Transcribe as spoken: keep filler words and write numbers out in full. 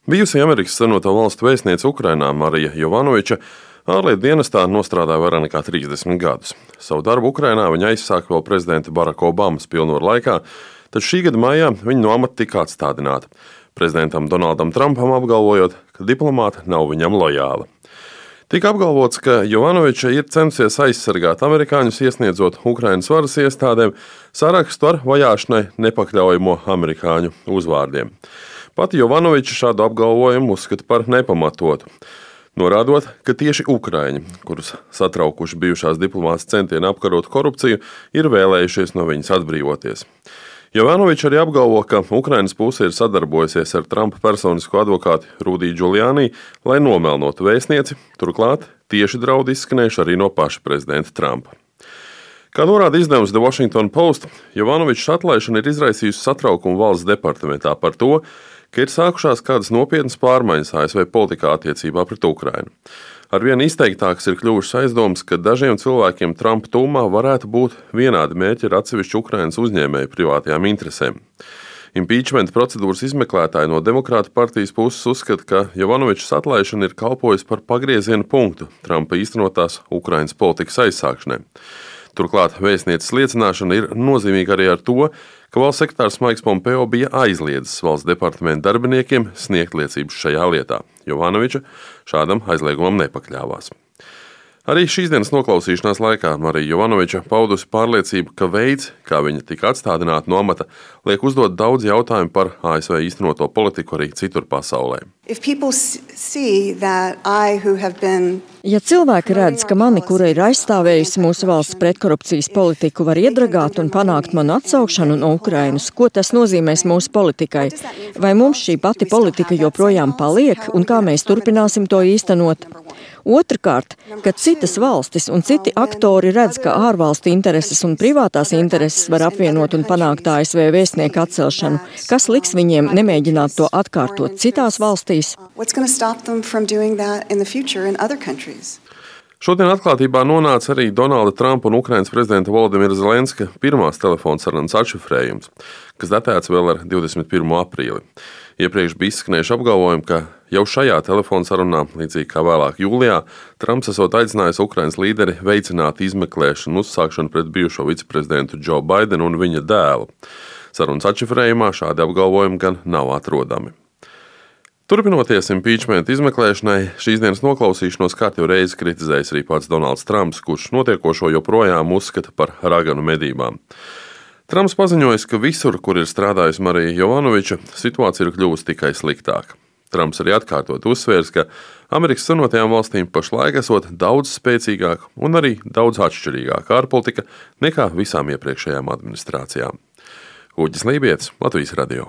Bijusī Amerikas Savienoto Valstu vēstniece Ukrainā Marija Jovanoviča ārlietu dienestā nostrādāja vairāk nekā trīsdesmit gadus. Savu darbu Ukrainā viņa aizsāka vēl prezidenta Baraka Obamas pilnvaru laikā, taču šī gada maijā viņa no amata tika atstādināta. Prezidentam Donaldam Trumpam apgalvojot, ka diplomāte nav viņam lojāla. Tika apgalvots, ka Jovanoviča ir censies aizsargāt amerikāņus, iesniedzot Ukrainas varas iestādēm sarakstu ar vajāšanai nepakļaujamo amerikāņu uzvārdiem. Pati Jovanoviča šādu apgalvojumu uzskata par nepamatotu, norādot, ka tieši ukraiņi, kurus satraukuši bijušās diplomātas centieni apkarot korupciju, ir vēlējušies no viņas atbrīvoties. Jovanoviča arī apgalvo, ka Ukrainas puse ir sadarbojusies ar Trumpa personisko advokātu Rudiju Giuliani, lai nomelnotu vēstnieci, turklāt tieši draudi izskanējuši arī no paša prezidenta Trumpa. Kā norāda izdevums The Washington Post, Jovanovičas atlaišana ir izraisījusi satraukumu valsts departamentā par to, ka ir sākušās kādas nopietnas pārmaiņas A S V politikā attiecībā pret Ukrainu. Arvien izteiktākas ir kļuvušas aizdomas, ka dažiem cilvēkiem Trumpa tūmā varētu būt vienādi mērķi ar atsevišķu Ukrainas uzņēmēju privātajām interesēm. Impeachment procedūras izmeklētāji no Demokrātu partijas puses uzskata, ka Jovanovičas atlaišana ir kalpojusi par pagrieziena punktu Trumpa īstenotās Ukrainas politikas aizsākšanai. Turklāt vēstnieces liecināšana ir nozīmīga arī ar to, ka valsts sekretārs Maiks Pompeo bija aizliedzis valsts departamenta darbiniekiem sniegt liecības šajā lietā. Jovanoviča šādam aizliegumam nepakļāvās. Arī šīs dienas noklausīšanās laikā Marija Jovanoviča paudusi pārliecību, ka veids, kā viņa tika atstādināta no amata, liek uzdot daudz jautājumu par A S V īstenoto politiku arī citur pasaulē. Ja cilvēki redz, ka mani, kura ir aizstāvējusi mūsu valsts pretkorupcijas politiku, var iedragāt un panākt manu atsaukšanu no Ukrainas, ko tas nozīmēs mūsu politikai? Vai mums šī pati politika joprojām paliek un kā mēs turpināsim to īstenot? Otrakārt, kad citas valstis un citi aktori redz, ka ārvalstu intereses un privātās intereses var apvienot un panākt A S V vēstnieku atcelšanu, kas liks viņiem nemēģināt to atkārtot citās valstīs? Šodien atklātībā nonāca arī Donalda Trumpa un Ukrainas prezidenta Volodimira Zelenska pirmās telefonsarunas atšifrējums, kas datēts vēl ar divdesmit pirmo aprīli. Iepriekš bija izskanējuši apgalvojumi, ka jau šajā telefonsarunā, līdzīgi kā vēlāk jūlijā, Trumps esot aicinājis Ukrainas līderi veicināt izmeklēšanu uzsākšanu pret bijušo viceprezidentu Joe Bidenu un viņa dēlu. Sarunas atšifrējumā šādi apgalvojumi gan nav atrodami. Turpinoties impeachment izmeklēšanai, šīs dienas noklausīšanos kārtīgi reizi kritizējis arī pats Donalds Trumps, kurš notiekošo joprojām uzskata par raganu medībām. Trumps paziņojis, ka visur, kur ir strādājusi Marija Jovanoviča, situācija ir kļuvusi tikai sliktāka. Trumps arī atkārtot uzsvērs, ka Amerikas Savienotajām valstīm pašlaik esot daudz spēcīgāka un arī daudz atšķirīgāka ārpolitika nekā visām iepriekšējām administrācijām. Uģis Lībietis, Latvijas radio.